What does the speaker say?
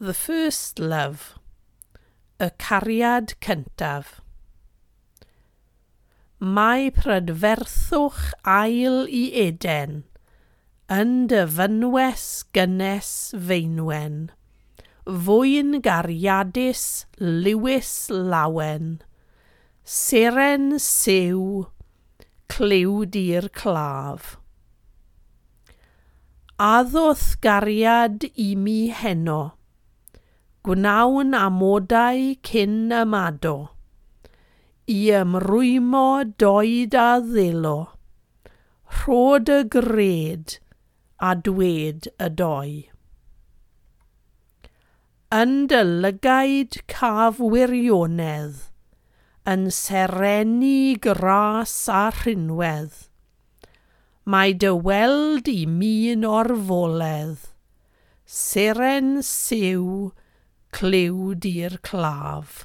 The First Love, Y Cariad Cyntaf. Mae prydferthwch ail i Eden, yn dy fynwes gynnes feinwen, fwyn gariadus Lewis lawen, seren siw, clyw di'r claf. Addoth gariad i mi heno, gwnawn amodau cyn ymado, i ymrwymo doed a ddelo, rhod y gred a dwed y doi. Yn dy lygaid caf wirionedd, yn serenu gras a rhinwedd, mae dy weld i mi'n orfoledd, seren siw, clyw di'r claf.